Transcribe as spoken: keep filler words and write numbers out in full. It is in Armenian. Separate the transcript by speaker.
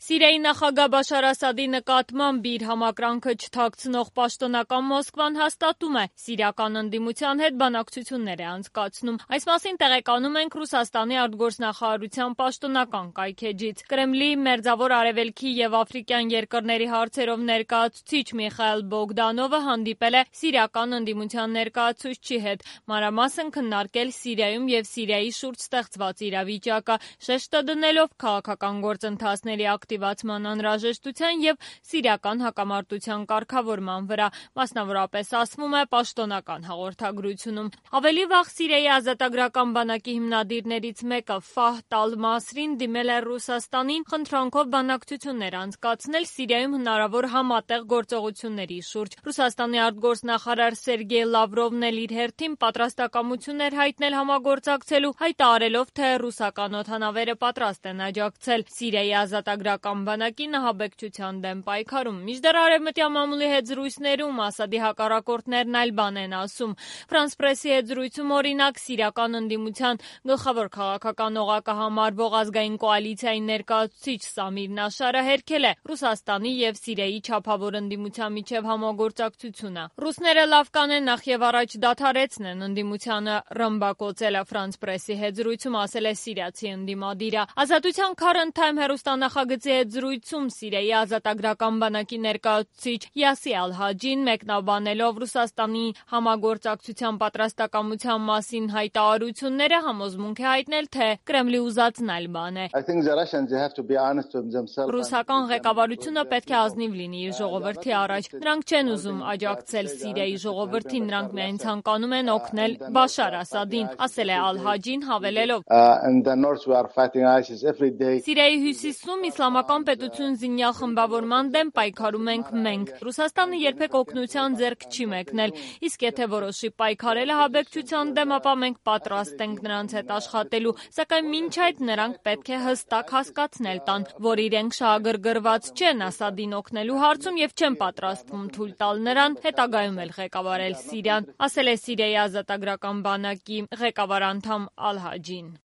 Speaker 1: Սիրիայի նախագահ Բաշար Ասադի նկատմամբ իր համակրանքը չթաքցնող պաշտոնական Մոսկվան հաստատում է՝ սիրիական ընդդիմության հետ բանակցություններ է անցկացնում։ Այս մասին տեղեկանում ենք Ռուսաստանի արտգործնախարարության պաշտոնական կայքէջից։ Կրեմլի Մերձավոր Արևելքի և Աֆրիկյան երկրների հարցերով ներկայացուցիչ Միխայիլ Բոգդանովը հանդիպել է սիրիական ընդդիմության ներկայացուցչի հետ, մանրամասն քննարկել Սիրիայում և Սիրիայի շուրջ ստեղծված իրավիճակը, շեշտը դնելով քաղաքական գործընթացների ակտիվացման անհրաժեշտության և սիրիական հակամարտության կարգավորման վրա, մասնավորապես ասվում է պաշտոնական հաղորդագրությունում։ Ավելի վաղ Սիրիայի ազատագրական բանակի հիմնադիրներից մեկը Ֆահդ ալ-Մասրին դիմել է Ռուսաստանին խնդրանքով բանակցություններ անցկացնել Սիրիայում հնարավոր համատեղ գործողությունների շուրջ։ Ռուսաստանի արտգործնախարար Սերգեյ Լավրովն էլ իր հերթին պատրաստակամություն էր հայտնել համագործակցելու, հայտարարելով, թե ռուսական օդանավերը պատրաստ են աջակցել Սիրիայի ազատագրական բանակի նահաբեկչության դեմ պայքարում։ Մինչդեռ արևմտյան մամուլի հետ զրույցներում Ասադի հակառակորդներն այլ բան են ասում։ Ֆրանս Պրեսի հետ զրույցում, օրինակ, սիրիական ընդդիմության գլխավոր քաղաքական օղակը համարվող ազգային կոալիցիայի ներկայացուցիչ Սամիր Նաշարը հերքել է Ռուսաստանի և Սիրիայի չափավոր ընդդիմության միջև համագործակցությունը։ Ռուսները լավ կանեն նախևառաջ դադարեցնեն ընդդիմությանը ռմբակոծելը, Ֆրանս Պրեսի հետ զրույցում ասել է սիրիացի ընդդիմադիրը։ Ազատության Current Time հեռուստանախագծի հետ զրույցում Սիրիայի ազատագրական բանակի ներկայացուցիչ Յասի Ալ-Հաջին մեկնաբանելով Ռուսաստանի համագործակցության պատրաստակամության մասին հայտարարությունները համոզմունք է հայտնել, թե Կրեմլի ուզածն այլ բան է։ Ռուսական ղեկավարությունը պետք է ազնիվ լինի իր ժողովրդի առաջ։ Նրանք չեն ուզում աջակցել Սիրիայի ժողովրդին, նրանք միայն ցանկանում են օգնել Բաշար Ասադին, ասել է Ալ-Հաջին, հավելելով. Սիրիայի հյուսիսում իսլամական պետություն զինյալ խմբավորման դեմ պայքարում ենք մենք։ Ռուսաստանը երբեք օգնության ձեռք չի մեկնել, իսկ եթե որոշի պայքարել ահաբեկչության դեմ, ապա մենք պատրաստ ենք նրանց հետ աշխատելու, սակայն մինչ այդ նրանք պետք է հստակ հասկացնել տան, որ իրենք շահագրգռված չեն Ասադին օգնելու հարցում և չեն պատրաստվում թույլ տալ նրան հետագայում էլ ղեկավարել Սիրիան, ասել է Սիրիայի ազատագրական բանակի ղեկավար անդամ Ալ-Հաջին։